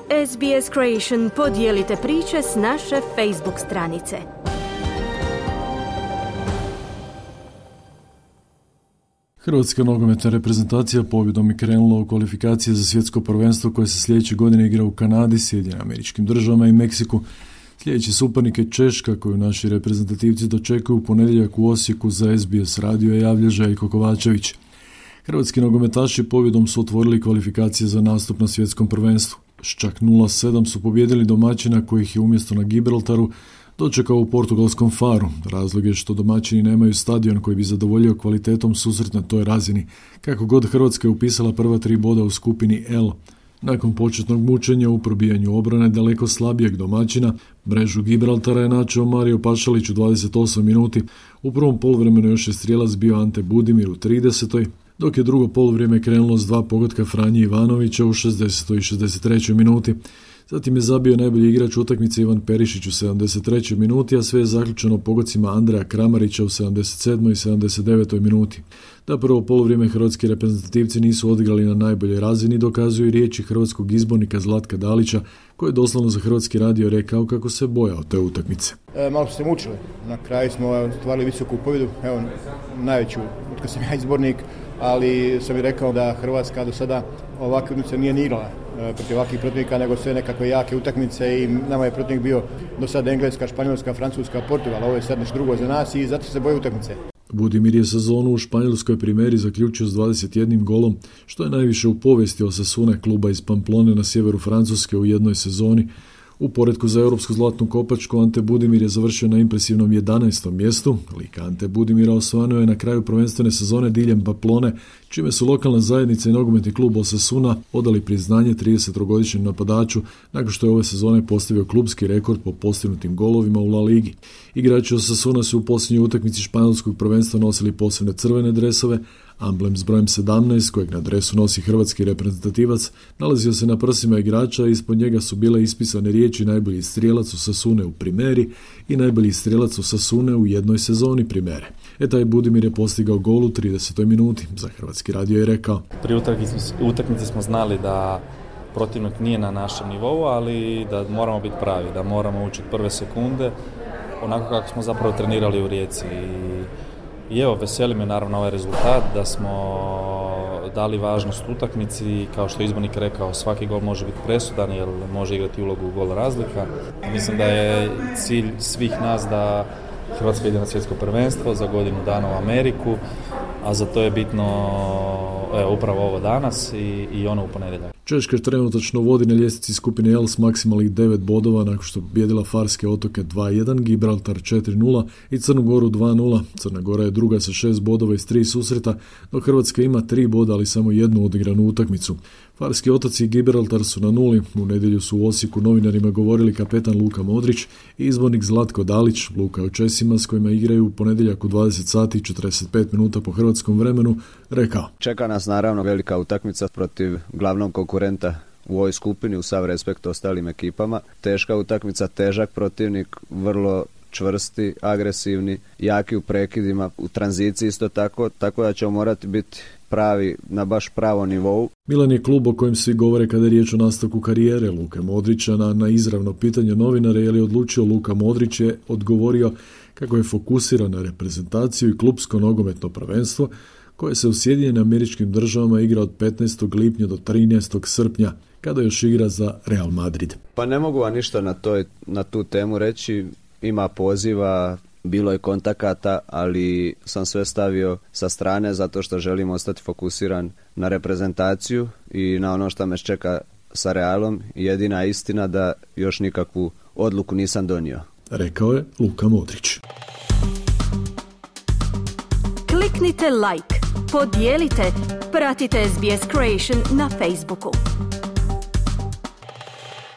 SBS Creation, podijelite priče s naše Facebook stranice. Hrvatska nogometna reprezentacija pobjedom je krenula u kvalifikacije za svjetsko prvenstvo koje se sljedeće godine igra u Kanadi, Sjedinjenim Američkim Državama i Meksiku. Sljedeći suparnik je Češka, koju naši reprezentativci dočekuju u ponedjeljak u Osijeku. Za SBS radio javlja Željko Kovačević. Hrvatski nogometaši pobjedom su otvorili kvalifikacije za nastup na svjetskom prvenstvu. S čak 0-7 su pobijedili domaćina kojih je umjesto na Gibraltaru dočekao u portugalskom Faru. Razlog je što domaćini nemaju stadion koji bi zadovoljio kvalitetom susret na toj razini. Kako god, Hrvatska je upisala prva 3 boda u skupini L. Nakon početnog mučenja u probijanju obrane daleko slabijeg domaćina, mrežu Gibraltara je načeo Mario Pašalić u 28 minuti. U prvom poluvremenu još je strijelac bio Ante Budimir u 30. dok je drugo poluvrijeme krenulo s 2 pogotka Franje Ivanovića u 60. i 63. minuti. Zatim je zabio najbolji igrač utakmice Ivan Perišić u 73. minuti, a sve je zaključeno pogocima Andreja Kramarića u 77. i 79. minuti. Da prvo poluvrijeme hrvatski reprezentativci nisu odigrali na najboljoj razini, dokazuju i riječi hrvatskog izbornika Zlatka Dalića, koji je doslovno za Hrvatski radio rekao kako se bojao te utakmice. Malo smo se mučili, na kraju smo stvarili visoku pobjedu, evo najveću, otkad sam ja izbornik, ali sam i rekao da Hrvatska do sada ovakve utakmice nije ni igrala protiv ovakvih protivnika, nego sve nekakve jake utakmice i nama je protivnik bio do sada Engleska, Španjolska, Francuska, Portugal, ovo je sad nešto drugo za nas i zato se boje utakmice. Budimir je sezonu u španjolskoj primeri zaključio s 21 golom, što je najviše u povijesti Osasune, kluba iz Pamplone na sjeveru Francuske u jednoj sezoni. U poretku za europsku zlatnu kopačku Ante Budimir je završio na impresivnom 11. mjestu. Lik Ante Budimira osvanuo je na kraju prvenstvene sezone diljem Pamplone, čime su lokalna zajednica i nogometni klub Osasuna odali priznanje 30-godišnjem napadaču nakon što je ove sezone postavio klubski rekord po postignutim golovima u La Ligi. Igrači Osasuna su u posljednjoj utakmici španjolskog prvenstva nosili posebne crvene dresove. Amblem s brojem 17, kojeg na dresu nosi hrvatski reprezentativac, nalazio se na prsima igrača i ispod njega su bile ispisane riječi najbolji strijelac Osasune u primeri i najbolji strijelac Osasune u jednoj sezoni primere. Taj Budimir je postigao gol u 30. minuti. Za Hrvatski radio je rekao: Pri utakmici smo znali da protivnik nije na našem nivou, ali da moramo biti pravi, da moramo učiti prve sekunde, onako kako smo zapravo trenirali u Rijeci. I evo, veseli me naravno ovaj rezultat, da smo dali važnost utakmici, kao što je izbornik rekao, svaki gol može biti presudan jer može igrati ulogu gol razlika. Mislim da je cilj svih nas da Hrvatska ide na svjetsko prvenstvo za godinu dana u Ameriku, a za to je bitno upravo ovo danas i ono u ponedjeljak. Češka trenutačno vodi na ljestvici skupine L s maksimalnih 9 bodova nakon što pobijedila Farske otoke 2-1, Gibraltar 4-0 i Crnu Goru 2-0. Crna Gora je druga sa 6 bodova iz 3 susreta, dok Hrvatska ima 3 boda, ali samo jednu odigranu utakmicu. Farski otoci i Gibraltar su na nuli. U nedjelju su u Osijeku novinarima govorili kapetan Luka Modrić i izbornik Zlatko Dalić. Luka je o Česima s kojima igraju u ponedjeljak u 20 sati i 45 minuta po hrvatskom vremenu rekao: Čeka nas naravno velika utakmica protiv glavnog konkurenta u ovoj skupini, u sav respekt ostalim ekipama. Teška utakmica, težak protivnik, vrlo čvrsti, agresivni, jaki u prekidima, u tranziciji isto tako da ćemo morati biti pravi na baš pravom nivou. Milan je klub o kojem svi govore kada je riječ o nastavku karijere Luke Modrića. Na izravno pitanje novinara je li odlučio Luka Modrić je odgovorio kako je fokusiran na reprezentaciju i klubsko nogometno prvenstvo koje se u Sjedinjenim Američkim Državama igra od 15. lipnja do 13. srpnja, kada još igra za Real Madrid. Pa ne mogu vam ništa na tu temu reći. Ima poziva, bilo je kontakata, ali sam sve stavio sa strane zato što želim ostati fokusiran na reprezentaciju i na ono što me čeka sa Realom. Jedina istina da još nikakvu odluku nisam donio. Rekao je Luka Modrić. Kliknite like, podijelite, pratite SBS Creation na Facebooku.